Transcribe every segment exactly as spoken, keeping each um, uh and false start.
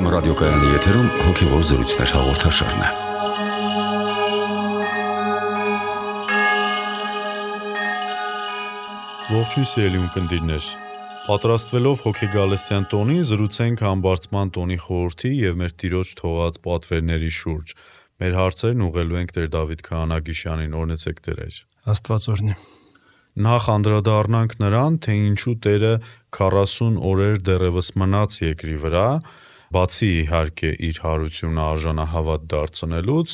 ռադիոկայանի եթերում հոգևոր զրույցներ հաղորդաշարն է։ Ողջույն սիրելի ունկնդիրներ։ Պատրաստվելով հոգեգալստյան տոնին, զրուցենք համբարձման տոնի խորհրդի եւ մեր Տիրոջ թողած պատվերների շուրջ։ Մեր հարցերն ուղղելու ենք Տեր Դավիթ Քահանագիշյանին, օրհնեցեք Տեր։ Աստված օրհնի։ Նախ անդրադառնանք նրան, թե ինչու Տերը քառասուն օրեր դեռևս մնաց երկրի վրա, բացի իհարկե իր հարությունը արժանահավատ դարձնելուց,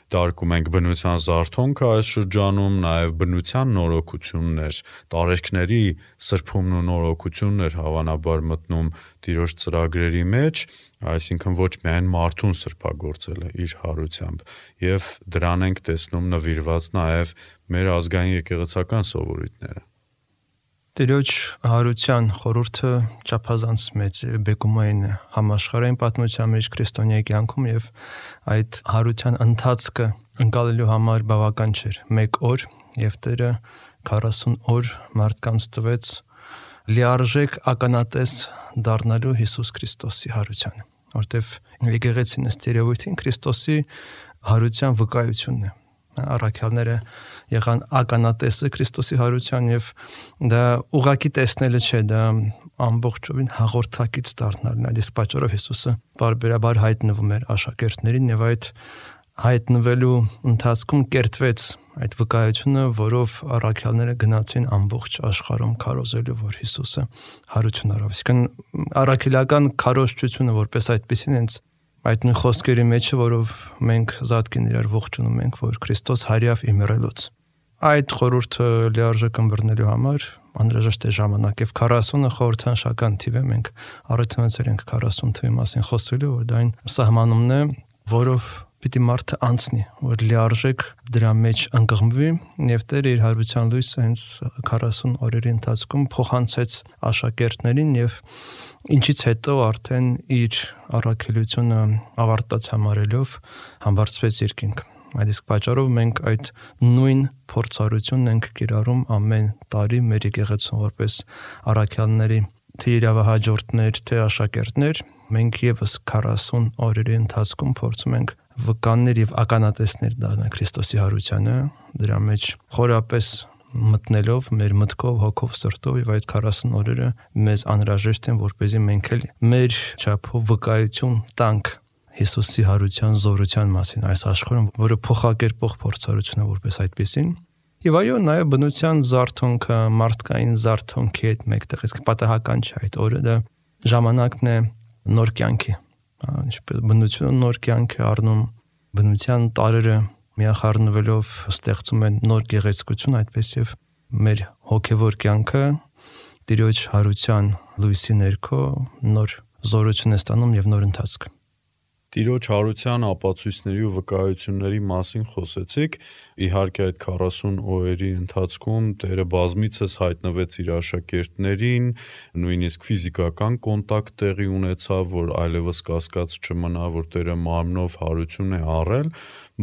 դարկում ենք բնության զարթոնքը այս շրջանում, նաև բնության նորոգություններ, տարերքների սրբումն ու նորոգությունն էր հավանաբար մտնում Տիրոջ ծրագրերի մեջ, այսինքն ոչ միայն մարդուն սրբագործել է իր հարությամբ, եւ դրան ենք տեսնում նվիրված նաև մեր ազգային եկեղեցական սովորույթները։ Տիրոջ հարության խորհուրդը չափազանց մեծ բեկումային համաշխարհային պատմության մեջ քրիստոնյայի կյանքում եւ այդ հարության ընթացքը ընկալելու համար բավական չէր։ Մեկ օր եւ Տերը քառասուն օր մարդկանց տվեց լիարժեք ականատես դառնալու Հիսուս Քրիստոսի հարությանը, որտեվ եկեղեցին ըստ երևույթին Քրիստոսի հարության վկայությունն է։ Առաքյալները եղան ականատեսը Քրիստոսի հարության եւ դա ուղակի տեսնելը չէ, դա ամբողջովին հաղորդակից դառնալն է։ Իսկ պատճառով Հիսուսը բարբերաբար հայտնվում էր աշակերտներին եւ այդ հայտնվելու ընթացքում կերտվեց այդ վկայությունը, որով առաքյալները գնացին ամբողջ աշխարհում քարոզելու, որ Հիսուսը հարություն արավ։ Իսկն առաքելական քարոզչությունը որպես այդպեսին հենց այդ նույն խոսքերի մեջ է, որով մենք զատկին իրար ողջունում ենք, որ Քրիստոս հարյավ իմրելուց։ Այդ խորհուրդը լիարժեք ըմբռնելու համար անհրաժեշտ է ժամանակ եւ քառասունը խորհրդանշական թիվ է, մենք առիթ ունեցել ենք քառասուն թվի մասին խոսելու, որ դա այն սահմանումն է, որով պիտի մարդը անցնի, որ լիարժեք դրա մեջ ընկղմվի եւ Տերը իր հարության լույսը հենց քառասուն օրերի ընթացքում փոխանցեց աշակերտներին եւ ինչից հետո արդեն իր առաքելությունը ավարտած համարելով համբարձվեց երկինք։ Այդ իսկ պատճառով մենք այդ նույն փորձառությունն ենք կիրառում ամեն տարի մեր եկեղեցում որպես առաքյալների թե իրավահաջորդներ, թե աշակերտներ, մենք եւս քառասուն օրերի ընթացքում փորձում ենք վկաններ եւ ականատեսներ դառնալ Քրիստոսի հարությանը, դրա մեջ խորապես մտնելով մեր մտքով, հոգով, սրտով եւ այդ քառասուն օրերը մեզ անհրաժեշտ են, որպեսզի մենք էլ մեր չափով վկայություն տանք Հիսուսի հարության զորության մասին այս աշխարհում, որը փոխակերպող փորձառություն է որպես այդպեսին։ Եվ այո, նաև բնության զարթոնքը, մարդկային զարթոնքի հետ մեկտեղ, իսկ պատահական չէ այդ օրը, դա ժամանակն է նոր կյանքի, ինչպես բնությունը նոր կյանք է առնում, բնության տարրերը միախառնվելով ստեղծում են նոր գեղեցկություն, այդպես եւ մեր հոգեվոր կյանքը Տիրոջ հարության լույսի ներքո նոր զորություն է ստանում եւ նոր ընթացք։ Տիրոջ հարության ապացույցների ու վկայությունների մասին խոսեցիք, իհարկե այդ քառասուն օրերի ընթացքում Տերը բազմիցս հայտնվեց իր աշակերտներին, նույնիսկ ֆիզիկական կոնտակտ տեղի ունեցավ, որ այլևս կասկած չմնա, որ Տերը մարմնով հարություն է առել,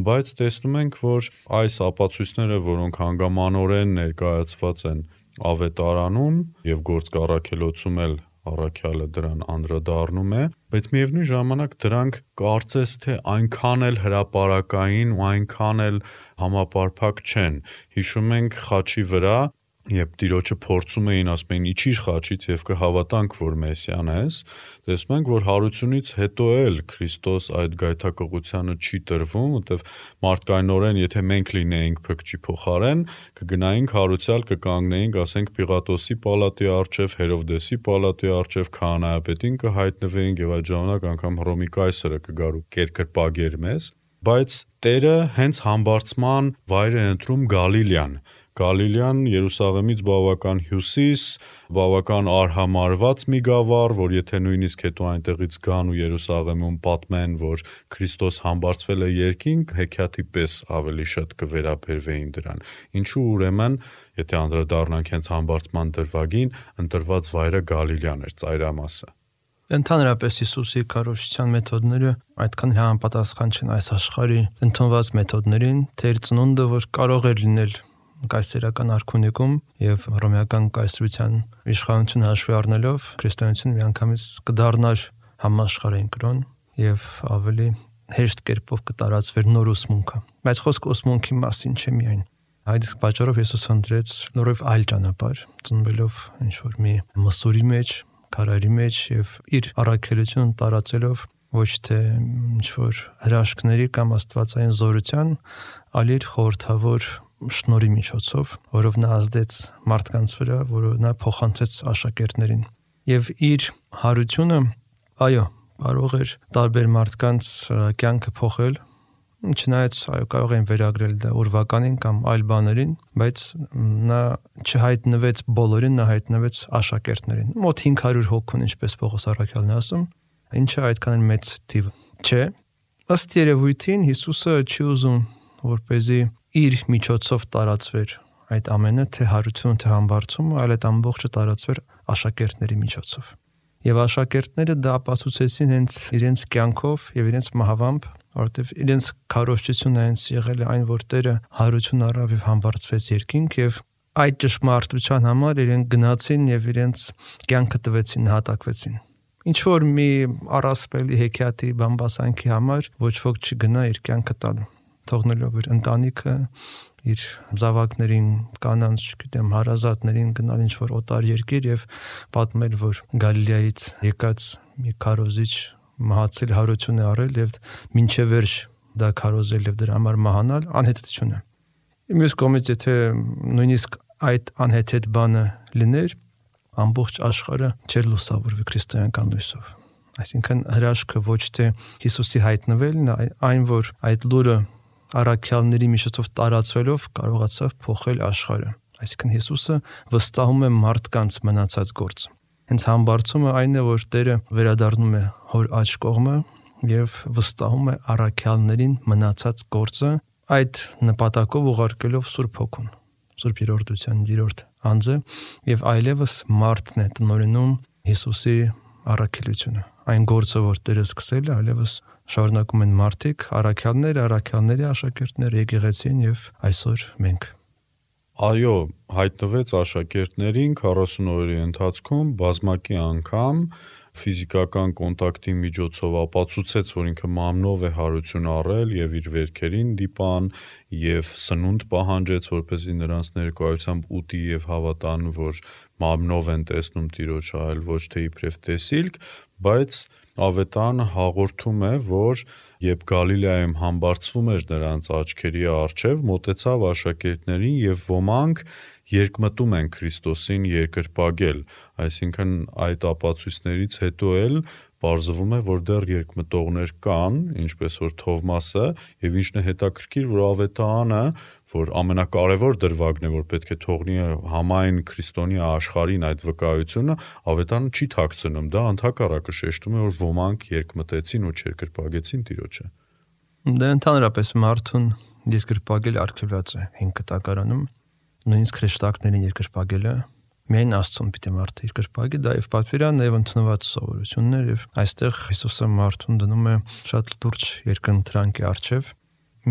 բայց տեսնում ենք, որ այս ապացույցները, որոնք հանգամանորեն ներկայացված են ավետարանում եւ գործք առաքելոցում էլ առաքյալը դրան անդրադառնում է, բայց միևնույն ժամանակ դրանք կարծես թե այնքան էլ հրապարակային ու այնքան էլ համապարփակ չեն։ Հիշում ենք խաչի վրա, երբ Տիրոջը փորձում էին, ասում էին իջիր խաչից եւ կհավատանք, որ Մեսիան ես, տեսնում ենք, որ հարությունից հետո էլ Քրիստոս այդ գայթակղությանը չի տրվում, որտեվ մարդկայնորեն, եթե մենք լինեինք փրկչի փոխարեն, կգնայինք հարուցյալ, կկանգնեինք, ասենք Պիղատոսի պալատի առջև, Հերովդեսի պալատի առջև, քահանայապետին կհայտնվեինք եւ այդ ժամանակ անգամ Հռոմի կայսրը կգար ու կերկրպագեր մեզ, բայց Տերը հենց համբարձման վայր է ընտրում Գալիլեան։ Գալիլեան Երուսաղեմից բավական հյուսիս, բավական արհամարված մի գավառ, որ եթե նույնիսկ հետո այնտեղից գան ու Երուսաղեմում պատմեն, որ Քրիստոս համբարձվել է երկինք, հեքիաթի պես ավելի շատ կվերաբերվեին դրան։ Ինչու ուրեմն, եթե անդրադառնանք հենց համբարձման դրվագին, ընտրված վայրը Գալիլեան էր, ծայրամասը։ Ընդհանրապես Հիսուսի քարոզչության մեթոդները այդքան համապատասխան չեն այս աշխարհի ընդունված մեթոդներին, թե իր ծնունդը, որ կարող էր լինել կայսերական արքունիքում եւ հռոմեական կայսրության իշխանությունը հաշվի առնելով քրիստոնեությունը միանգամից կդառնար համաշխարհային կրոն, եւ ավելի հեշտ կերպով կտարածվեր նոր ուսմունքը։ Բայց խոսքը ուսմունքի մասին չէ միայն։ Այդ իսկ պատճառով Հիսուս ընտրեց նորով այլ ճանապարհ, ծնվելով ինչ-որ մի մսուրի մեջ, քարայրի մեջ եւ իր առաքելությունը տարածելով ոչ թե ինչ-որ հրաշքների կամ աստվածային զորության, այլ իր խորհրդավոր շնորհի միջոցով, որով նա ազդեց մարդկանց վրա, որով նա փոխանցեց աշակերտներին։ Եվ իր հարությունը, այո, կարող էր տարբեր մարդկանց կյանքը փոխել, չնայած այո կարող են վերագրել դա ուրվականին կամ այլ բաներին, բայց նա չհայտնվեց բոլորին, նա հայտնվեց աշակերտներին։ Մոտ հինգ հարյուր հոգուն, ինչպես Պողոս առաքյալն է ասում, ինչը այդքան մեծ թիվ չէ։ Ըստ երևույթին Հիսուսը չի ուզում, որպեսզի իր միջոցով տարածվեր այդ ամենը, թե հարությունը, թե համբարձումը, այլ այդ ամբողջը տարածվեր աշակերտների միջոցով։ Եվ աշակերտները դա ապացուցեցին հենց իրենց կյանքով եւ իրենց մահվամբ, որովհետեւ իրենց քարոզչությունը հենց եղել է այն, որ Տերը հարություն առավ եւ համբարձվեց երկինք եւ այդ ճշմարտության համար իրենք գնացին եւ իրենց կյանքը տվեցին, նահատակվեցին։ Ինչ որ մի առասպելի հեքիաթի բամբասանքի համար ոչ ոք չգնա իր կյանքը տալու, թողնելով իր ընտանիքը, իր զավակներին, կանանց, չգիտեմ, հարազատներին գնալ ինչ-որ օտար երկիր եւ պատմել, որ Գալիլեայից եկած մի քարոզիչ մահացել հարություն է առել եւ մինչեւ վերջ դա քարոզել եւ դրա համար մահանալ անհետություն է։ Մյուս կողմից, եթե նույնիսկ այդ անհեթեթ բանը լիներ, ամբողջ աշխարհը չէր լուսավորվի քրիստոնեական լույսով։ Այսինքն հրաշքը ոչ թե Հիսուսի հայտնվելն, այն որ այդ լուրը առաքյալների միջոցով տարածվելով կարողացավ փոխել աշխարհը։ Այսինքն Հիսուսը վստահում է մարդկանց մնացած գործը։ Հենց համբարձումը այն է, որ Տերը վերադառնում է հոր աջ կողմը եւ վստահում է առաքյալներին մնացած գործը, այդ նպատակով ուղարկելով Սուրբ Հոգուն, Սուրբ Երորդության երրորդ անձը, եւ այլևս մարդն է տնօրինում Հիսուսի առաքելությունը։ Այն գործը, որ Տերը սկսել է, այլևս շարունակում են մարդիկ, առաքյալները, առաքյալների աշակերտները, եկեղեցին եւ այսօր մենք։ Այո, հայտնվեց աշակերտներին քառասուն օրերի ընթացքում բազմակի անգամ ֆիզիկական կոնտակտի միջոցով ապացուցեց, որ ինքը մամնով է հարություն առել եւ իր վերքերին դիպան եւ սնունդ պահանջեց, որպեսզի նրանց ներկայությամբ ուտի եւ հավատան, որ մամնով են տեսնում Տիրոջը, այլ ոչ թե իբրև տեսիլք, բայց Ավետարանը հաղորդում է, որ երբ Գալիլեայում համբարձվում էր նրանց աչքերի առջև, մոտեցավ աշակերտներին եւ ոմանք երկմտում են Քրիստոսին երկրպագել, այսինքն այդ ապացույցներից հետո էլ պարզվում է, որ դեռ երկմտողներ կան, ինչպես որ Թովմասը, եւ ինչն է հետաքրքիր, որ Ավետարանը, որ ամենակարևոր դրվագն է, որ պետք է թողնի համայն քրիստոնյա աշխարհին այդ վկայությունը, Ավետարանը չի թաքցնում, դա ընդհակառակը շեշտում է, որ ոմանք երկմտեցին ու չերկրպագեցին Տիրոջը։ Դա ընդհանրապես մարդուն երկրպագել արգելված է հին կտակարանում, նույնիսկ հրեշտակներին երկրպագելը միայն Աստծուն պիտի մարդը երկրպագի, դա եւ պատվիրան եւ ընդունված սովորություններ եւ այստեղ Հիսուսը մարդուն դնում է շատ լուրջ երկընտրանքի առջև,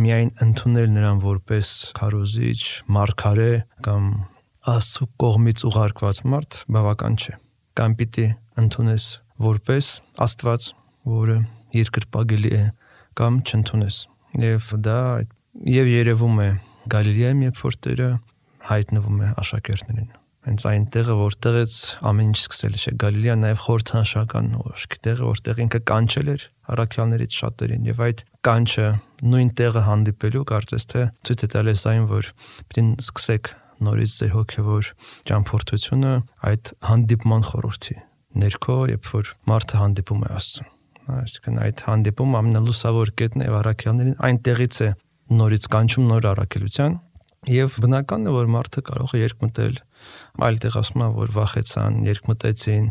միայն ընդունել նրան որպես քարոզիչ, մարգարե կամ Աստծո կողմից ուղարկված մարդ բավական չէ։ Կամ պիտի ընդունես որպես Աստված, որը երկրպագելի է, կամ չընդունես։ Եվ դա եւ երևում է Գալիլեայում, երբ որ Տերը հայտնվում է աշակերտներին։ Հենց այն տեղը, որտեղից ամեն ինչ սկսել է, Գալիլեան նաև խորհրդանշական ուշքի տեղը, որտեղ ինքը կանչել էր առաքյալներից շատերին, եւ այդ կանչը նույն տեղը հանդիպելու կարծես թե ցույց է տալիս այն, որ պիտի սկսեք նորից ձեր հոգևոր ճամփորդությունը այդ հանդիպման խորհրդի ներքո, երբ որ մարդը հանդիպում է Աստծուն։ Այսինքն այդ հանդիպումը ամենալուսավոր կետն է, եւ առաքյալներին այնտեղից է նորից կանչում նոր առաքելության, եւ բնական է, որ մարդը կարող է երկմտել, այլ տեղ ասում է, որ վախեցան, երկմտեցին,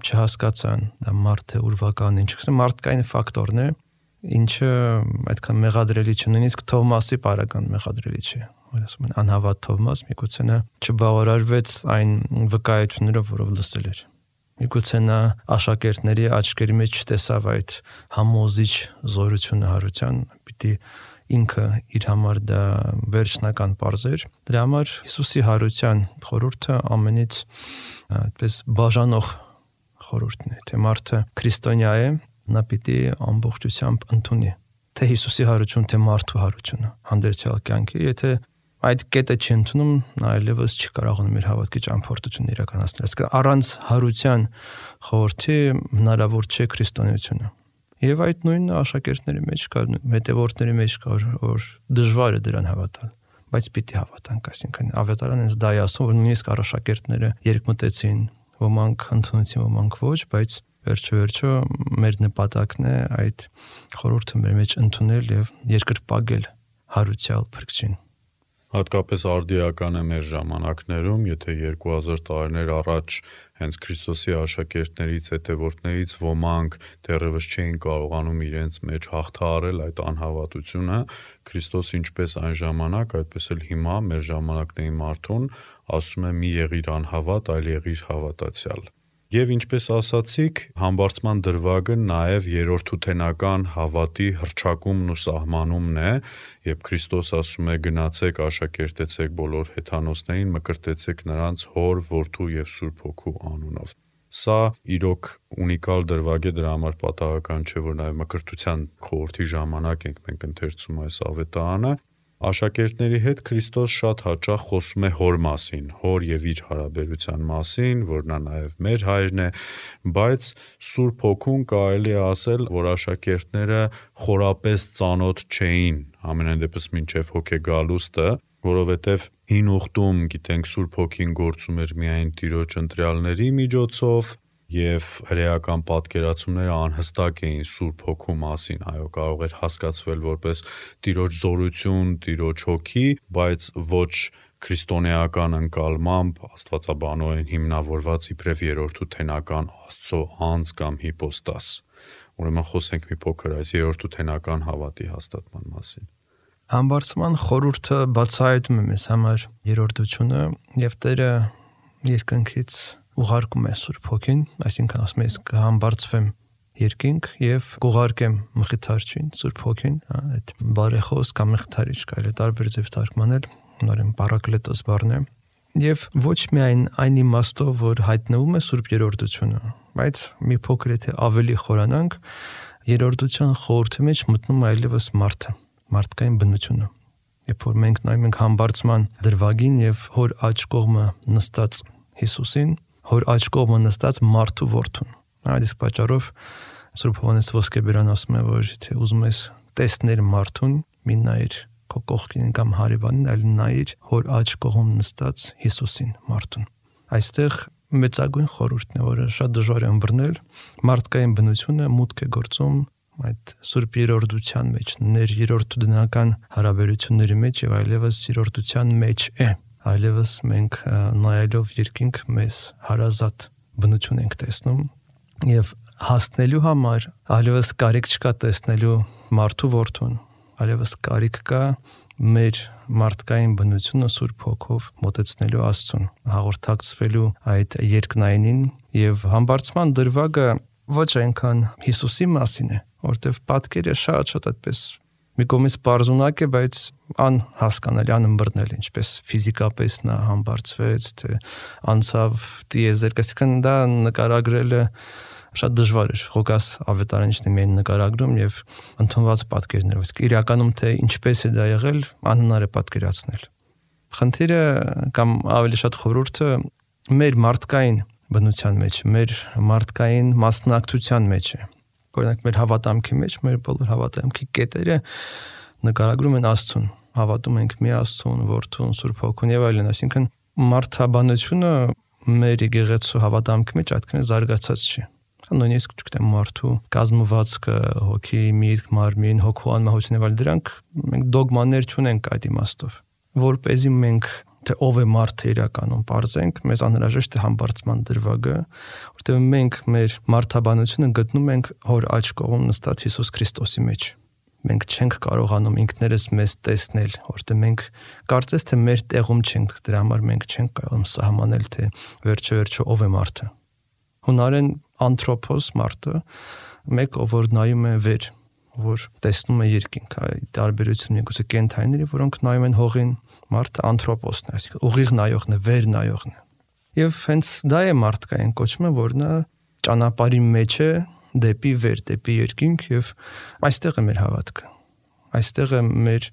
չհասկացան, դա մարդ է ուրվական, ինչ կսեմ, մարդկային ֆակտորն է, ինչը այդքան մեղադրելի չէ, նույնիսկ Թովմասի բարական մեղադրելի չէ, որ ասում են անհավատ Թովմաս, միգուցե նա չբավարարվեց այն վկայություններով, որով լսել էր։ Միգուցե նա աշակերտների աչքերի մեջ չտեսավ այդ համոզիչ զորությունը հարության, պիտի ինքը իր համար դա վերջնական պարզեր։ Դրա համար Հիսուսի հարության խորհուրդը ամենից այդպես բաժանող խորհուրդն է, թե մարդը քրիստոնյա է, նա պիտի ամբողջությամբ ընդունի թե Հիսուսի հարություն, թե մարդու հարությունը հանդերձյալ կյանքի, եթե այդ կետը չի ընդունում, նա այլևս չի կարողանում իր հավատքի ճամփորդությունը իրականացնել։ Այսինքն առանց հարության խորհրդի հնարավոր չէ քրիստոնեությունը։ Եվ այդ նույնը աշակերտների մեջ կա, հետևորդների մեջ կա, որ դժվար է դրան հավատալ, բայց պիտի հավատանք, այսինքն ավետարանը հենց դա է ասում, որ նույնիսկ աշակերտները երկմտեցին, ոմանք ընդունեցին, ոմանք ոչ, բայց վերջը-վերջը մեր նպատակն է այդ խորհուրդը մեր մեջ ընդունել եւ երկրպագել հարուցյալ փրկչին։ Հատկապես արդիական է մեր ժամանակներում, եթե երկու հազար տարիներ առաջ հենց Քրիստոսի աշակերտներից, հետևորդներից ոմանք դեռևս չէին կարողանում իրենց մեջ հաղթահարել այդ անհավատությունը, Քրիստոս ինչպես այն ժամանակ, այդպես էլ հիմա մեր ժամանակների մարդուն ասում է՝ մի եղիր անհավատ, այլ եղիր հավատացյալ։ Եվ ինչպես ասացիք, համբարձման դրվագը նաև երրորդութենական հավատի հռչակումն ու սահմանումն է, երբ Քրիստոս ասում է՝ գնացեք, աշակերտեցեք բոլոր հեթանոսներին, մկրտեցեք նրանց Հոր, Որդու եւ Սուրբ Հոգու անունով։ Սա իրոք ունիկալ դրվագ է, դրա համար պատահական չէ, որ նաև մկրտության խորհրդի ժամանակ ենք մենք ընթերցում այս ավետարանը։ Աշակերտների հետ Քրիստոս շատ հաճախ խոսում է Հոր մասին, Հոր եւ իր հարաբերության մասին, որ նա նաեւ մեր հայրն է, բայց Սուրբ Հոգուն կարելի է ասել, որ աշակերտները խորապես ծանոթ չէին, ամենայն դեպս մինչեւ հոգեգալուստը, որովհետեւ հին ուխտում, գիտենք, Սուրբ Հոգին գործում էր միայն Տիրոջ ընտրյալների միջոցով, եւ հրեական պատկերացումները անհստակ էին Սուրբ Հոգու մասին, այո, կարող էր հասկացվել որպես Տիրոջ զորություն, Տիրոջ հոգի, բայց ոչ քրիստոնեական ընկալմամբ աստվածաբանորեն հիմնավորված իբրև երրորդութենական Աստծո անձ կամ հիպոստաս։ Ուրեմն խոսենք մի փոքր այս երրորդութենական հավատի հաստատման մասին։ Համբարձման խորհուրդը բացահայտում է մեզ համար երրորդությունը եւ Տերը երկնքից ուղարկում է Սուրբ Հոգին, այսինքն ասում է կհամբարձվեմ երկինք եւ կուղարկեմ Մխիթարչին, Սուրբ Հոգին, այդ բարեխոս կամ Մխիթարիչ կարելի է տարբեր ձև թարգմանել, նորեն Պարակլետոս բառն է, եւ ոչ միայն այն իմաստով, որ հայտնվում է Սուրբ երրորդությունը, բայց մի փոքր եթե ավելի խորանանք, երրորդության խորհրդի մեջ մտնում այլևս մարդը, մարդկային բնությունը։ Երբ որ մենք նայում ենք համբարձման դրվագին եւ Հոր աջ կողմը նստած Հիսուսին, Հոր աջ կողմը նստած մարդու որդուն։ Այդ իսկ պատճառով Սուրբ Հովհաննես Ոսկեբերան ասում է, որ եթե ուզում ես տեսնել մարդուն, մի նայիր քո կողքին կամ հարևանին, այլ նայիր Հոր աջ կողմում նստած Հիսուսին, մարդուն։ Այստեղ մեծագույն խորհուրդն է, որը շատ դժվար է ըմբռնել, մարդկային բնությունը մուտք է գործում այդ Սուրբ երրորդության մեջ, ներ երրորդուդնական հարաբերությունների մեջ եւ այլևս երրորդության մեջ է։ Այլևս մենք նայելով երկինք մեզ հարազատ բնություն ենք տեսնում եւ հասնելու համար այլևս կարիք չկա տեսնելու մարդու որդուն, այլևս կարիք կա մեր մարդկային բնությունը Սուրբ Հոգով մոտեցնելու Աստծուն, հաղորդակցվելու այդ երկնայինին եւ համբարձման դրվագը ոչ այնքան Հիսուսի մասին է, որտեվ պատկերը շատ-շատ այդպես մի կողմից պարզունակ է, բայց անհասկանալի, անըմբռնել, ինչպես ֆիզիկապես նա համբարձվեց, թե անցավ տիեզերք, այսինքն դա նկարագրելը շատ դժվար էր։ Ղուկաս ավետարանիչն է միայն նկարագրում եւ ընդունված պատկերներով, իսկ իրականում թե ինչպես է դա եղել, անհնար է պատկերացնել։ Խնդիրը կամ ավելի շատ խորհուրդը մեր մարդկային բնության մեջ, մեր մարդկային մասնակցության մեջ է։ Օրինակ մեր հավատամքի մեջ մեր բոլոր հավատամքի կետերը նկարագրում են Աստծուն, հավատում ենք մի Աստծուն, Որդուն, Սուրբ Հոգուն եւ այլն, այսինքն մարդաբանությունը մեր եկեղեցու հավատամքի մեջ այդքան զարգացած չի։ Նույնիսկ չգիտեմ մարդու կազմվածքը, հոգի, միտք, մարմին, հոգու անմահություն եւ այլ դրանք մենք դոգմաներ չունենք այդ իմաստով, որպեսզի մենք թե ով է մարդը իրականում բարձենք, մեզ անհրաժեշտ է համբարձման դրվագը, որտեղ մենք մեր մարդաբանությունը գտնում ենք Հոր աջ կողմում նստած Հիսուս Քրիստոսի մեջ։ Մենք չենք կարողանում ինքներս մեզ տեսնել, որտեղ մենք կարծես թե մեր տեղում չենք, դրա համար մենք չենք կարողանում սահմանել, թե վերջը-վերջը ով է մարդը։ Հունարեն անթրոփոս մարդը, մեկ ով որ նայում է վեր, որ տեսնում է երկինք, այդ տարբերությունը միգուցե կենթայիների, որոնք նայում են հողին, մարդը անթրոպոսն է, այսինքն ուղիղ նայողն է, վեր նայողն է։ Եվ հենց դա է մարդկային կոչումը, որ նա ճանապարհի մեջ է դեպի վեր, դեպի երկինք եւ այստեղ է մեր հավատքը։ Այստեղ է մեր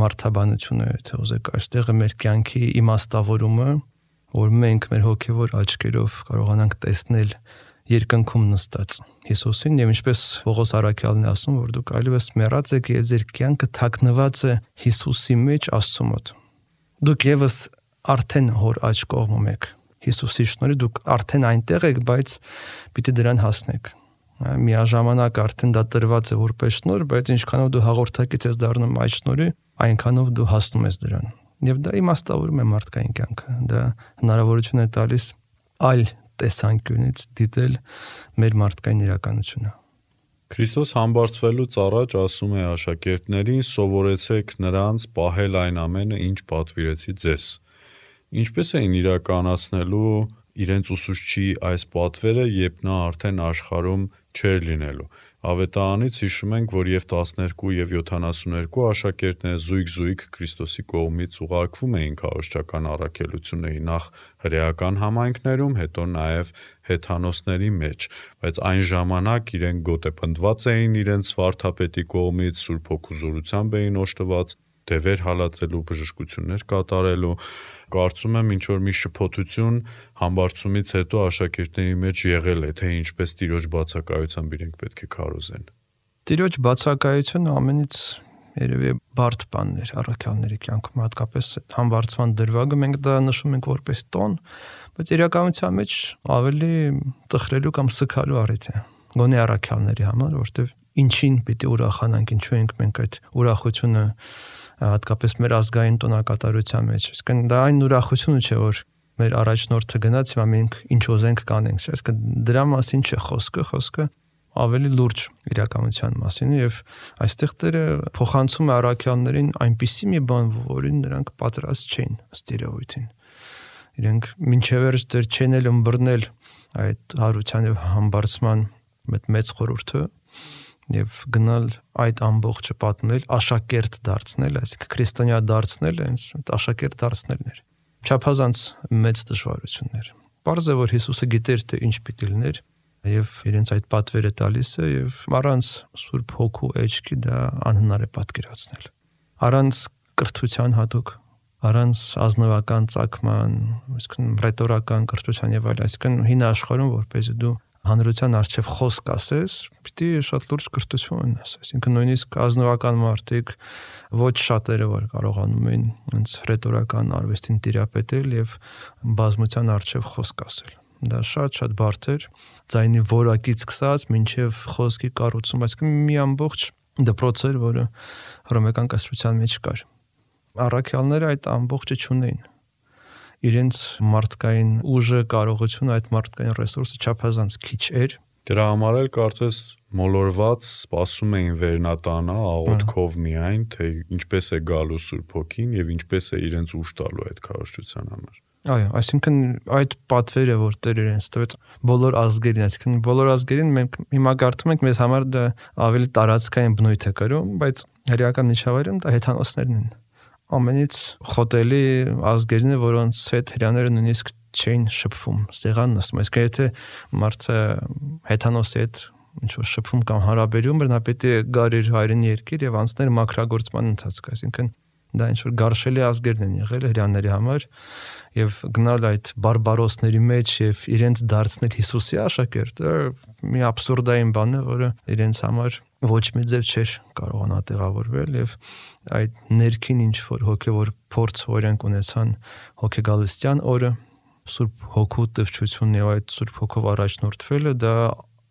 մարդաբանությունը, եթե ուզեք, այստեղ է մեր կյանքի իմաստավորումը, որ մենք մեր հոգևոր աչքերով կարողանանք տեսնել երկնքում նստած Հիսուսին եւ ինչպես Պողոս առաքյալն է ասում, որ դուք այլևս մեռած եք եւ ձեր կյանքը թաքնված է Հիսուսի մեջ Աստծո մոտ։ Դուք եւս արդեն հոր աջ կողմում եք։ Հիսուսի շնորհիվ դուք արդեն այնտեղ եք, բայց պիտի դրան հասնեք։ Միաժամանակ արդեն դա տրված է որպես շնորհ, բայց ինչքանով դու հաղորդակից ես դառնում այդ շնորհի, այնքանով դու հասնում ես դրան։ Եվ դա իմաստավորում է մարդկային կյանքը։ Դա հնարավորություն է տալիս այլ տեսանկյունից դիտել մեր մարդկային իրականությունը։ Քրիստոս համբարձվելուց առաջ ասում է աշակերտներին. «Սովորեցեք նրանց պահել այն ամենը, ինչ պատվիրեցի ձեզ»։ Ինչպես էին իրականացնելու իրենց ուսուցչի այս պատվերը, երբ նա արդեն աշխարհում չէր լինելու։ Ավետարանից հիշում ենք, որ եւ տասներկու եւ յոթանասուներկու աշակերտները զույգ-զույգ Քրիստոսի կողմից ուղարկվում էին քարոզչական առաքելությունների, նախ հրեական համայնքներում, հետո նաեւ հեթանոսների մեջ, բայց այն ժամանակ իրենք գոտեպնդված էին իրենց վարդապետի կողմից, Սուրբ Հոգու զորությամբ էին օժտված դևեր հալածելու, բժշկություններ կատարելու։ Կարծում եմ ինչ որ մի շփոթություն համբարձումից հետո աշակերտների մեջ եղել է, թե ինչպես Տիրոջ բացակայությամբ իրենք պետք է քարոզեն։ Տիրոջ բացակայությունը ամենից երևի բարդ բանն էր առաքյալների կյանքում, հատկապես համբարձման դրվագը մենք դա նշում ենք որպես տոն, բայց իրականության մեջ ավելի տխրելու կամ սգալու առիթ է։ Գոնե առաքյալների համար, որտեղ ինչին պիտի ուրախանանք, ինչու ենք մենք այդ ուրախությունը հատկապես մեր ազգային տոնակատարության մեջ։ Իսկն դա այն ուրախությունը չէ, որ մեր առաջնորդը գնաց, հիմա մենք ինչ ուզենք կանենք, չէ՞։ Իսկն դրա մասին չէ խոսքը, խոսքը ավելի լուրջ իրականության մասին է եւ այստեղ Տերը փոխանցում է առաքյալներին այնպիսի մի բան, որին նրանք պատրաստ չէին ըստ իրավույթին։ Իրենք մինչև վերջ դեռ չեն էլ ըմբռնել այդ հարության եւ համբարձման մեծ խորհուրդը եւ գնալ այդ ամբողջը պատմել, աշակերտ դարձնել, այսինքն քրիստոնյա դարձնել, այնց աշակերտ դարձնելն էր։ Չափազանց մեծ դժվարություններ։ Պարզ է, որ Հիսուսը գիտեր, թե ինչ պիտի լիներ եւ իրենց այդ պատվերը տալիս է եւ առանց Սուրբ Հոգու էջքի դա անհնար է պատկերացնել։ Առանց կրթության հատուկ, առանց ազնվական ծագման, այսինքն ռետորական կրթության եւ այլ, այսինքն հին աշխարհում որպես դու հանրության առջև խոսք ասես, պիտի շատ լուրջ կրթություն ունես, այսինքն նույնիսկ ազնվական մարդիկ ոչ շատերը որ կարողանում են այնց ռետորական արվեստին տիրապետել եւ բազմության առջև խոսք ասել։ Դա շատ-շատ բարդ էր, ձայնի որակից սկսած մինչև խոսքի կառուցում, այսինքն մի ամբողջ դպրոց էր, որը հռոմեական կայսրության մեջ կար։ Առաքյալները այդ ամբողջը չունեին։ Իրենց մարդկային ուժը, կարողությունը, այդ մարդկային ռեսուրսը չափազանց քիչ էր։ Դրա համար էլ կարծես մոլորված սպասում էին վերնատանա աղոթքով միայն, թե ինչպես է գալու Սուրբ Հոգին եւ ինչպես է իրենց ուժ տալու այդ քարոզչության համար։ Այո, այսինքն այդ պատվերը, որ Տերը իրենց տվեց բոլոր ազգերին, այսինքն բոլոր ազգերին մենք հիմա կարդում ենք, մեզ համար դա ավելի տարածքային բնույթ է կրում, բայց հրեական միջավայրում դա հեթանոսներն են։ Ամենից խոտելի ազգերն է, որոնց հետ հрьяաները նույնիսկ չէին շփվում, ստեղան նստում։ Այսինքն եթե մարդը հեթանոսի հետ ինչ որ շփվում կամ հարաբերում, նա պետք է գար իր հայրենի երկիր եւ անցներ մաքրագործման ընթացք, այսինքն դա ինչ որ գարշելի ազգերն են եղել հрьяաների համար եւ գնալ այդ բարբարոսների մեջ եւ իրենց դարձնել Հիսուսի աշակերտը մի աբսուրդային բան է, որը իրենց համար ոչ մի ձև չէր կարողանա տեղավորվել եւ այդ ներքին ինչ որ հոգեվոր փորձ օրենք ունեցան հոգեգալստյան օրը Սուրբ Հոգու տվչությունն եւ այդ Սուրբ Հոգով առաջնորդվելը դա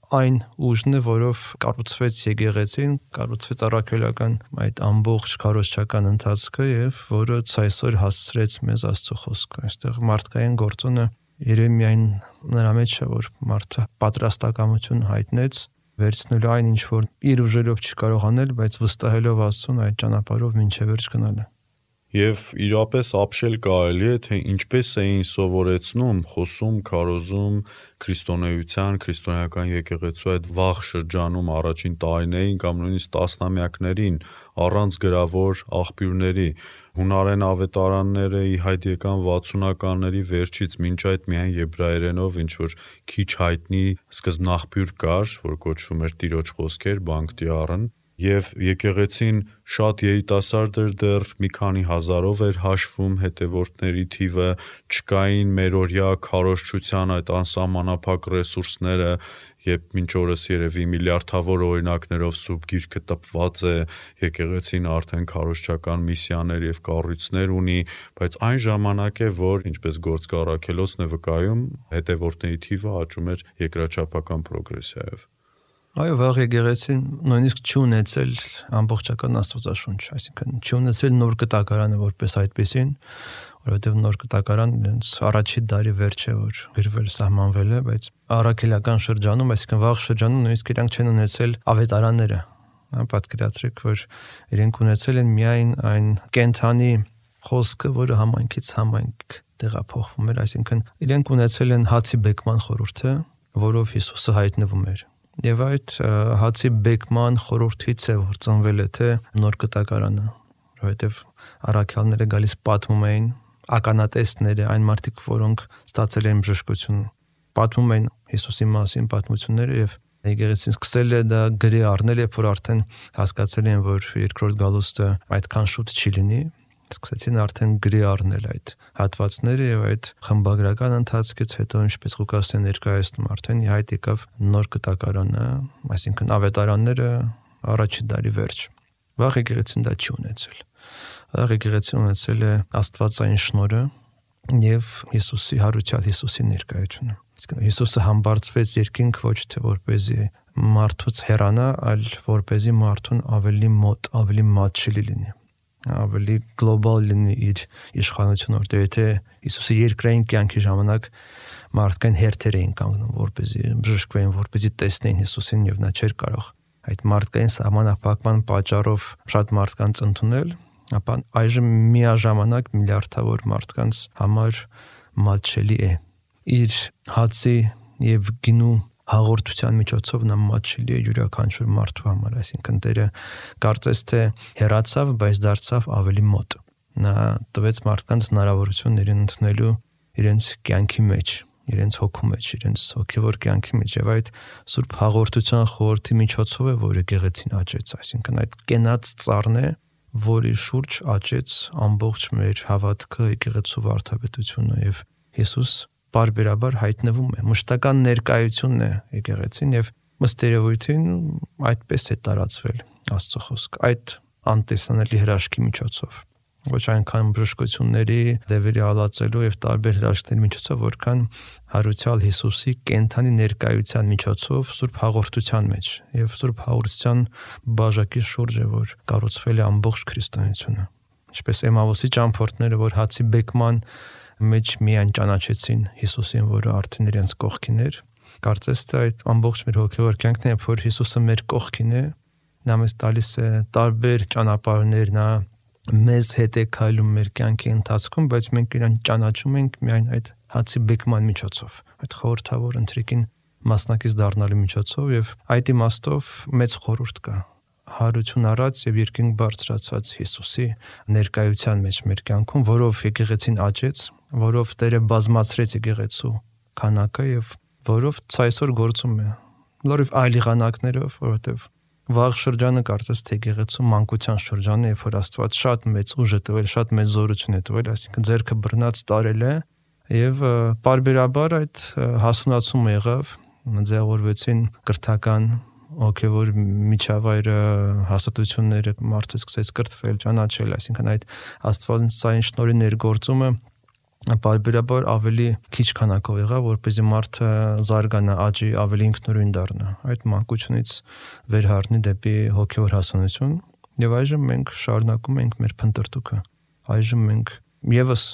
այն ուժն է, որով կառուցվեց եկեղեցին, կառուցվեց առաքելական այդ ամբողջ քարոզչական ընթացքը եւ որը այսօր հասցրեց մեզ Աստծո խոսքը։ Այստեղ մարդկային գործոնը երևի միայն նրա մեջ է, որ մարդը պատրաստակամություն հայտնեց վերցնելու այն ինչ որ իր ուժերով չի կարող անել, բայց վստահելով Աստծուն այդ ճանապարհով մինչև վերջ գնալը։ Եվ իրապես ապշել կարելի է, թե ինչպես էին սովորեցնում, խոսում, քարոզում քրիստոնեության, քրիստոնեական եկեղեցու այդ վաղ շրջանում առաջին տարիներին կամ նույնիսկ տասնամյակներին առանց գրավոր աղբյուրների։ Հունարեն ավետարանները ի հայտ եկան վաթսունականների վերջից, մինչ այդ միայն եբրայերենով ինչ-որ քիչ հայտնի սկզբնաղբյուր կար, որ կոչվում էր Տիրոջ խոսքեր, Բանկտիարն, եւ եկեղեցին շատ երիտասարդ էր դեռ, մի քանի հազարով էր հաշվում հետևորդների թիվը, չկային մերօրյա քարոզչության այդ անսահմանափակ ռեսուրսները, երբ մինչ օրս երևի միլիարդավոր օրինակներով Սուրբ Գիրքը տպված է, եկեղեցին արդեն քարոզչական միսիաներ եւ կառույցներ ունի, բայց այն ժամանակ է, որ ինչպես գործ Առաքելոցն է վկայում, հետևորդների թիվը աճում էր երկրաչափական պրոգրեսիայով։ Այո, վաղ եկեղեցին նույնիսկ չունեցել ամբողջական Աստվածաշունչ, այսինքն չունեցել նոր կտակարանը որպես այդպեսին, որովհետև նոր կտակարան իրենց առաջի դարի վերջ է, որ գրվել սահմանվել է, բայց առաքելական շրջանում, այսինքն վաղ շրջանում նույնիսկ իրանք չեն ունեցել ավետարանները։ Պատկերացրեք, որ իրենք ունեցել են միայն այն կենթանի խոսքը, որը համայնքից համայնք տեղափոխվում էր, այսինքն իրենք ունեցել են հացի բեկման խորհուրդը, որով Հիսուսը հայտնվում էր։ Եվ այդ հացի բեկման խորհրդից է որ ծնվել է թե նոր կտակարանը, որովհետև առաքյալները գալիս պատմում էին, ականատեսները, այն մարդիկ, որոնք ստացել են բժշկություն, պատմում էին Հիսուսի մասին պատմությունները եւ եկեղեցին սկսել է դա գրի առնել, երբ որ արդեն հասկացել են, որ երկրորդ գալուստը այդքան շուտ չի լինի, սկսեցին արդեն գրի առնել այդ հատվածները եւ այդ խմբագրական ընթացքից հետո ինչպես Ղուկասն է ներկայացնում արդեն ի հայտ եկավ նոր կտակարանը, այսինքն ավետարանները առաջի դարի վերջ։ Վաղ եկեղեցին դա չի ունեցել։ Վաղ եկեղեցին ունեցել է Աստվածային շնորհը եւ Հիսուսի հարության, Հիսուսի ներկայությունը։ Իսկ Հիսուսը համբարձվեց երկինք ոչ թե որպեսզի մարդուց հեռանա, այլ որպեսզի մարդուն ավելի մոտ, ավելի մատչելի լինի, ավելի գլոբալ լինի իր իշխանությունը, որտեղ եթե Հիսուսի երկրային կյանքի ժամանակ մարդկային հերթեր էին կանգնում, որպեսզի բժշկվեին, որպեսզի տեսնեին Հիսուսին եւ նա չէր կարող այդ մարդկային սահմանափակման պատճառով շատ մարդկանց ընդունել, ապա այժմ միաժամանակ միլիարդավոր մարդկանց համար մատչելի է իր հացի եւ գինու հաղորդության միջոցով նա մատչելի է յուրաքանչյուր մարդու համար, այսինքն Տերը կարծես թե հեռացավ, բայց դարձավ ավելի մոտ։ Նա տվեց մարդկանց հնարավորություն իրեն ընդունելու իրենց կյանքի մեջ, իրենց հոգու մեջ, իրենց հոգևոր կյանքի մեջ եւ այդ սուրբ հաղորդության խորհրդի միջոցով է, որ եկեղեցին աճեց, այսինքն այդ կենաց ծառն է, որի շուրջ աճեց ամբողջ մեր հավատքը, եկեղեցու վարդապետությունը եւ Հիսուս բարբերաբար հայտնվում է, մշտական ներկայությունն է եկեղեցին եւ ըստ երևույթին այդպես է տարածվել Աստծո խոսքը այդ անտեսանելի հրաշքի միջոցով, ոչ այնքան բժշկությունների, դևերի հալածելու եւ տարբեր հրաշքների միջոցով, որքան հարուցյալ Հիսուսի կենթանի ներկայության միջոցով սուրբ հաղորդության մեջ եւ սուրբ հաղորդության բաժակի շուրջ է, որ կառուցվել է ամբողջ քրիստոնեությունը, ինչպես Էմավոսի ճամփորդները, որ հացի բեկման մեջ միայն ճանաչեցին Հիսուսին, որը արդեն իրենց կողքին էր, կարծես թե այդ ամբողջ մեր հոգևոր կյանքն է, որ Հիսուսը մեր կողքին է, նա մեզ տալիս է տարբեր ճանապարհներ, նա մեզ հետ է քայլում մեր կյանքի ընթացքում, բայց մենք իրան ճանաչում ենք միայն այդ հացի բեկման միջոցով, այդ խորհրդավոր ընթրիկին մասնակից դառնալու միջոցով եւ այդ իմաստով մեծ խորհուրդ կա հարություն առած եւ երկինք բարձրացած Հիսուսի ներկայության մեջ մեր կյանքում, որով եկեղեցին աճեց, որով Տերը բազմացրեց եկեղեցու քանակը եւ որով ցայսօր գործում է լրիվ այլ եղանակներով, որովհետեւ վաղ շրջանը կարծես թե եկեղեցու մանկության շրջանը է, երբ որ Աստված շատ մեծ ուժ է տվել, շատ մեծ զորություն է տվել, այսինքն ձեռքը բռնած տարել է եւ պարբերաբար այդ հասունացումը եղավ, ձևավորվեցին կրթական հոգևոր միջավայրը, հաստատությունները, մարդը սկսեց կրթվել, ճանաչել, այսինքն այդ Աստվածային շնորհի ներգործումը պարբերաբար ավելի քիչ քանակով եղավ, որպեսզի մարդը զարգանա, աճի, ավելի ինքնուրույն դառնա, այդ մանկությունից վերհառնի դեպի հոգևոր հասունություն եւ այժմ մենք շարունակում ենք մեր փնտրտուքը, այժմ մենք եւս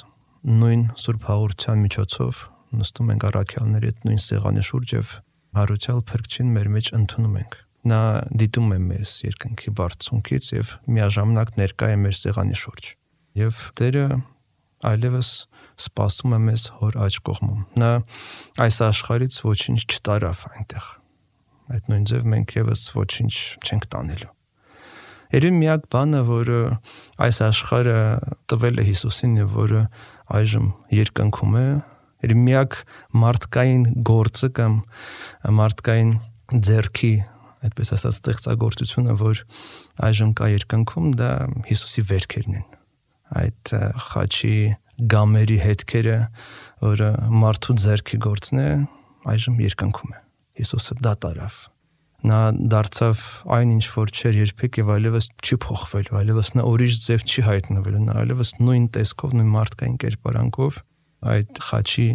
նույն սուրբ հաղորդության միջոցով նստում ենք առաքյալների հետ նույն սեղանի շուրջ եւ հարուցյալ Փրկչին մեր մեջ ընդունում ենք։ Նա դիտում է մեզ երկնքի բարձունքից եւ միաժամանակ ներկա է մեր սեղանի շուրջ։ եւ Տերը այլևս սպասում է մեզ հոր աջ կողմում։ Նա այս աշխարհից ոչինչ չտարավ այնտեղ։ Այդ նույն ձև մենք եւս ոչինչ չենք տանելու։ Երևի միակ բանը, որը այս աշխարհը տվել է Հիսուսին եւ որը այժմ երկնքում է, երևի միակ մարդկային գործը կամ մարդկային ձեռքի, այդպես ասած, ստեղծագործությունը, որ այժմ կա երկնքում, դա Հիսուսի վերքերն են։ Այդ խաչի գամերի հետքերը, որը մարդու ձեռքի գործն է, այժմ երկնքում է։ Հիսուսը դա տարավ։ Նա դարձավ այն ինչ որ չէր երբեք եւ այլևս չի փոխվելու, այլևս նա ուրիշ ձև չի հայտնվելու, նա այլևս նույն տեսքով, նույն մարդկային կերպարանքով այդ խաչի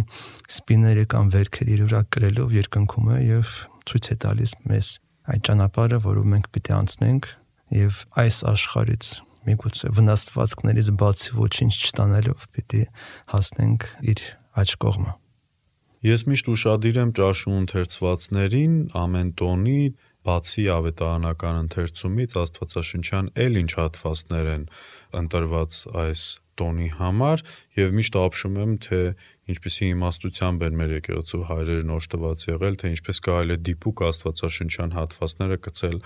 սպիները կամ վերքերը իր վրա կրելով երկնքում է եւ ցույց է տալիս մեզ այդ ճանապարհը, որով մենք պիտի անցնենք եւ այս աշխարհից միգուցե վնասվածքներից բացի ոչինչ չտանելով պիտի հասնենք իր աջ կողմը։ Ես միշտ ուշադիր եմ ճաշու ընթերցվածներին ամեն տոնի բացի ավետարանական ընթերցումից աստվածաշնչյան էլ ինչ հատվածներ են ընտրված այս տոնի համար եւ միշտ ապշում եմ թե ինչպեսի իմաստությամբ են մեր եկեղեցու հայրերն օժտված եղել, թե ինչպես կարելի է դիպուկ աստվածաշնչյան հատվածները գցել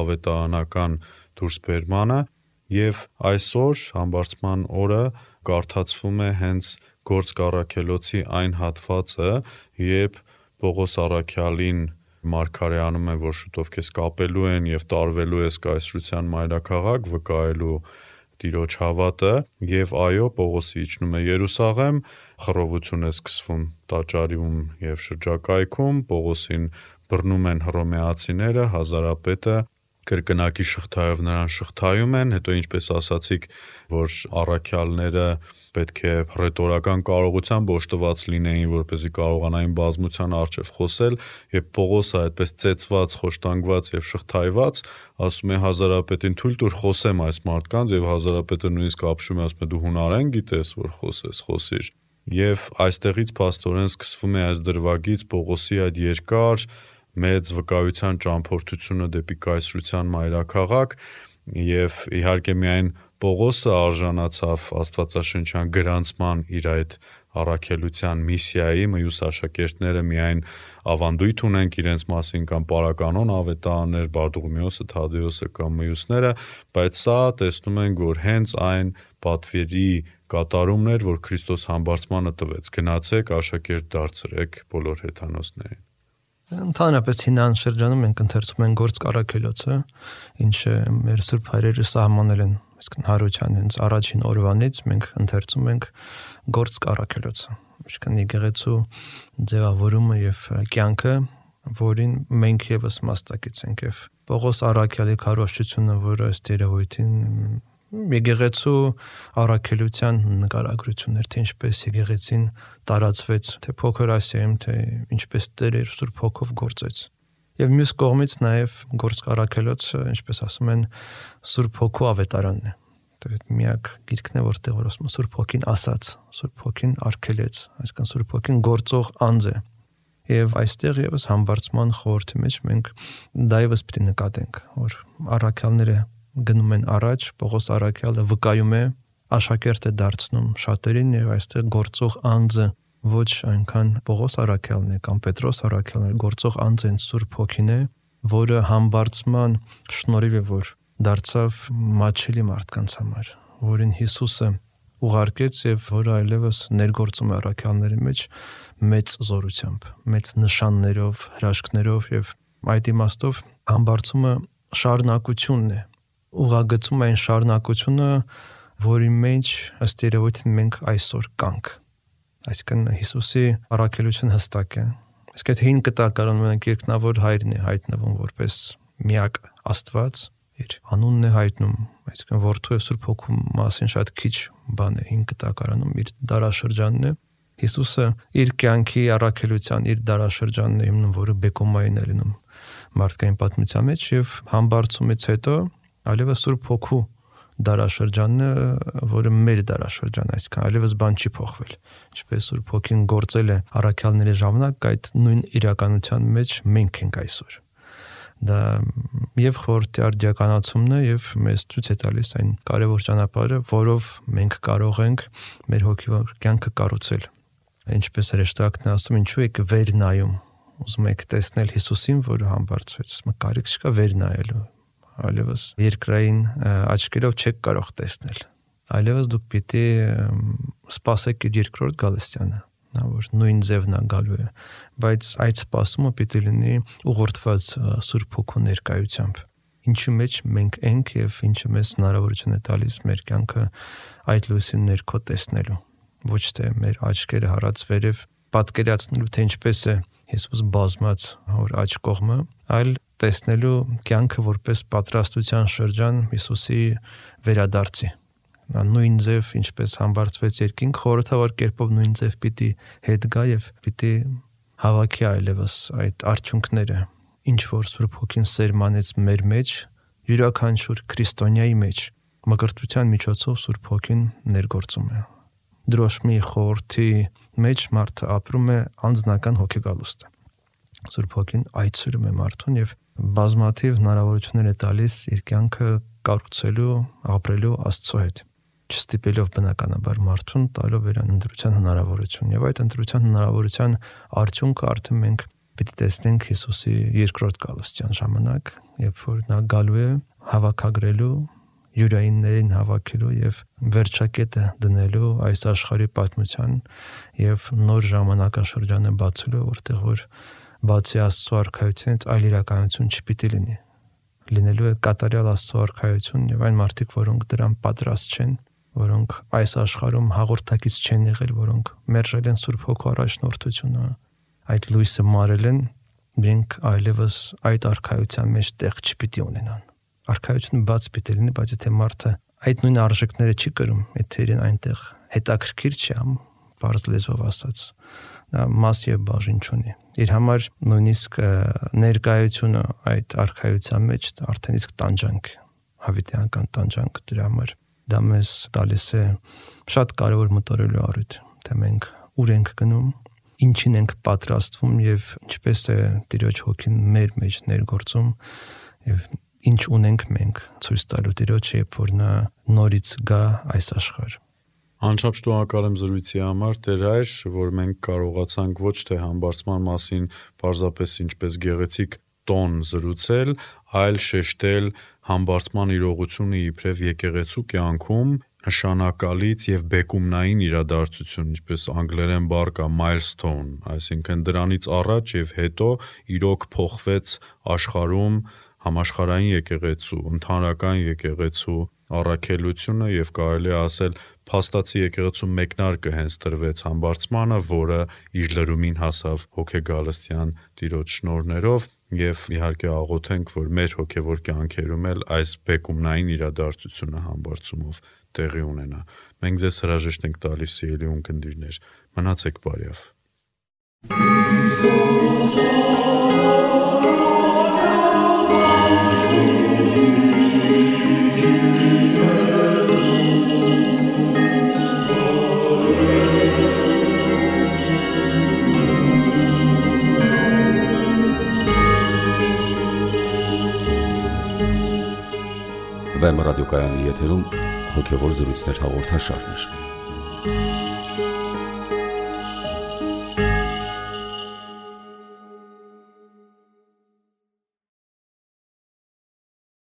ավետարանական դուրսբերմանը եւ այսօր համբարձման օրը կարդացվում է հենց Գործք առաքելոցի այն հատվածը, երբ Պողոս առաքյալին մարգարեանում են, որ շուտով քեզ կապելու են եւ տարվելու ես կայսրության մայրաքաղաք, վկայելու Տիրոջ հավատը, եւ այո, Պողոսը իջնում է Երուսաղեմ, խռովություն է սկսվում տաճարում եւ շրջակայքում, Պողոսին բռնում են հռոմեացիները, հազարապետը կրկնակի շղթայով նրան շղթայում են, հետո ինչպես ասացիք, որ առաքյալները պետք է ռետորական կարողությամբ օժտված լինեին, որպեսզի կարողանային բազմության առջև խոսել, եւ Պողոսը այդպես ծեծված, խոշտանգված եւ շղթայված, ասում է հազարապետին թույլ տուր խոսեմ այս մարդկանց, եւ հազարապետը նույնիսկ ապշում է, ասում է դու հունարեն գիտես, որ խոսես, խոսիր։ Եվ այստեղից փաստորեն սկսվում է այս դրվագից Պողոսի այդ երկար մեծ վկայության ճամփորդությունը դեպի կայսրության մայրաքաղաք, եւ իհարկե միայն Պողոսը արժանացավ աստվածաշնչյան գրանցման իր այդ առաքելության միսիայի, մյուս աշակերտները միայն ավանդույթ ունենք իրենց մասին կամ պարականոն ավետարաններ, Բարդուղիմեոսը, Թադեոսը կամ մյուսները, բայց սա տեսնում ենք, որ հենց այն պատվերի կատարումն էր, որ Քրիստոս համբարձմանը տվեց. գնացեք, աշակերտ դարձրեք բոլոր հեթանոսներին։ Ընդհանրապես հինան շրջանում մենք ընթերցում ենք Գործք առաքելոցը, ինչը մեր սուրբ հայրերը սահմանել են, իսկ Հարության հենց առաջին օրվանից մենք ընթերցում ենք Գործք առաքելոցը, այսինքն եկեղեցու ձևավորումը եւ կյանքը, որին մենք եւս մասնակից ենք եւ Պողոս առաքյալի քարոզչությունը, որը ըստ երևույթին եկեղեցու առաքելության նկարագրություններ, թե ինչպես եկեղեցին տարածվեց, թե փոքր Ասիայում, թե ինչպես Տերը իր Սուրբ Հոգով գործեց։ Եվ մյուս կողմից նաև Գործք առաքելոցը, ինչպես ասում են, Սուրբ Հոգու ավետարանն է։ Դա միակ գիրքն է, որտեղ որ ասում է Սուրբ Հոգին ասաց, Սուրբ Հոգին արգելեց, այսինքն Սուրբ Հոգին գործող անձ է։ Եվ այստեղ եւս համբարձման խորհրդի մեջ մենք դա եւս պետք է նկատենք, որ առաքյալները գնում են առաջ, Պողոս առաքյալը վկայում է, աշակերտ է դարձնում շատերին եւ այստեղ գործող անձը ոչ այնքան Պողոս առաքյալն է կամ Պետրոս առաքյալն է, գործող անձը Սուրբ Հոգին է, որը համբարձման շնորհիվ է, որ դարձավ մատչելի մարդկանց համար, որին Հիսուսը ուղարկեց եւ որը այլևս ներգործում է առաքյալների մեջ մեծ զորությամբ, մեծ նշաններով, հրաշքներով եւ այդ իմաստով համբարձումը շարունակությունն է, ուղղագծում այն շարունակությունը, որի մեջ ըստ երևույթին մենք այսօր կանք։ Այսինքն Հիսուսի առաքելությունը հստակ է։ Իսկ այդ հին կտակարանում մենք երկնավոր հայրն է հայտնվում որպես միակ Աստված, իր անունն է հայտնում, այսինքն Որդու եւ Սուրբ Հոգու մասին շատ քիչ բան է հին կտակարանում, իր դարաշրջանն է։ Հիսուսը իր կյանքի առաքելության, իր դարաշրջանն է հիմնում, որը Բեկոմային է լինում մարդկային պատմության մեջ եւ համբարձումից հետո այլևս Սուրբ Հոգու դարաշրջանն է, որը մեր դարաշրջանն է, այսինքն այլևս բան չի փոխվել։ Ինչպես Սուրբ Հոգին գործել է առաքյալների ժամանակ, այդ նույն իրականության մեջ մենք ենք այսօր։ Դա եւ խորհրդի արդիականացումն է եւ մեզ ցույց է տալիս այն կարևոր ճանապարհը, որով մենք կարող ենք մեր հոգևոր կյանքը կառուցել։ Ինչպես հրեշտակն է ասում, ինչու եք վեր նայում, ուզում եք տեսնել Հիսուսին, որը համբարձվեց, ասում կարիք չկա վեր նայելու, այլևս երկրային աչքերով չեք կարող տեսնել, այլևս դուք պիտի սպասեք իր երկրորդ գալստյանը, նա որ նույն ձևն է գալու է, բայց այդ սպասումը պիտի լինի ուղղորդված Սուրբ Հոգու ներկայությամբ, ինչի մեջ մենք ենք եւ ինչը մեզ հնարավորություն է տալիս մեր կյանքը այդ լույսի ներքո տեսնելու, ոչ թե մեր աչքերը հառած վերև պատկերացնելու, թե ինչպես է Հիսուս բազմած հոր աջ կողմը, այլ տեսնելու կյանքը որպես պատրաստության շրջան Հիսուսի վերադարձի։ Նա նույն ձև, ինչպես համբարձվեց երկինք, խորհրդավոր կերպով նույն ձև պիտի հետ գա եւ պիտի հավաքի այլևս այդ արդյունքները, ինչ որ Սուրբ Հոգին սերմանեց մեր մեջ, յուրաքանչյուր քրիստոնյայի մեջ, մկրտության միջոցով Սուրբ Հոգին ներգործում է։ Դրոշմի խորհրդի մեջ մարդը ապրում է անձնական հոգեգալուստը։ Սուրբ Հոգին այցելում է մարդուն եւ բազմաթիվ հնարավորություններ է տալիս իր կյանքը կառուցելու, ապրելու Աստծո հետ, չստիպելով բնականաբար մարդուն տալով իրան ընտրության հնարավորություն։ Եվ այդ ընտրության հնարավորության արդյունքը արդեն մենք պիտի տեսնենք Հիսուսի երկրորդ գալստյան ժամանակ, երբ որ նա գալու է հավաքագրելու յուրայիններին հավաքելու եւ վերջակետը դնելու այս աշխարհի պատմության եւ նոր ժամանակաշրջանը բացելու, որտեղ որ բացի Աստծո արքայությունից այլ իրականություն չպիտի լինի։ Լինելու է կատարյալ Աստծո արքայություն եւ այն մարդիկ, որոնք դրան պատրաստ չեն, որոնք այս աշխարհում հաղորդակից չեն եղել, որոնք մերժել են Սուրբ Հոգու առաջնորդությունը, այդ լույսը մարել են, իրենք այլևս այդ արքայության մեջ տեղ չպիտի ունենան։ Արքայությունը բաց պիտի լինի, բայց եթե մարդը այդ նույն արժեքները չի կրում, եթե իրեն այնտեղ հետաքրքիր չի ամ, բարձ լեզվով ասած, նա մաս եւ բաժին չունի։ Իր համար նույնիսկ ներկայությունը այդ արքայության մեջ արդեն իսկ տանջանք, հավիտյանական տանջանք դրա համար։ Դա մեզ տալիս է շատ կարևոր մտորելու առիթ, թե մենք ուր ենք գնում, ինչին ենք պատրաստվում եւ ինչպես է Տիրոջ Հոգին մեր մեջ ներգործում եւ ինչ ունենք մենք ցույց տալու Տիրոջը, երբ որ նա նորից գա այս աշխարհ։ Անչափ շնորհակալ եմ զրույցի համար, Տեր Հայր, որ մենք կարողացանք ոչ թե համբարձման մասին պարզապես ինչպես գեղեցիկ տոն զրուցել, այլ շեշտել համբարձման իրողությունը իբրև եկեղեցու կյանքում նշանակալից եւ բեկումնային իրադարձություն, ինչպես անգլերեն բառ կա milestone, այսինքն դրանից առաջ եւ հետո իրոք փոխվեց աշխարհում համաշխարհային եկեղեցու, ընդհանրական եկեղեցու առաքելությունը եւ կարելի է ասել փաստացի եկեղեցու մեկնարկը հենց տրվեց համբարձմանը, որը իր լրումին հասավ հոգեգալստյան Տիրոջ շնորհներով եւ իհարկե աղոթենք, որ մեր հոգեվոր կյանքերում էլ այս բեկումնային իրադարձությունը համբարձումով տեղի ունենա։ Մենք ձեզ հրաժեշտ ենք տալիս, սիրելի ունկնդիրներ, մնացեք բարյավ։ Վեմ ռադիոկայանի եթերում հոգևոր զրույցներ հաղորդաշարներ։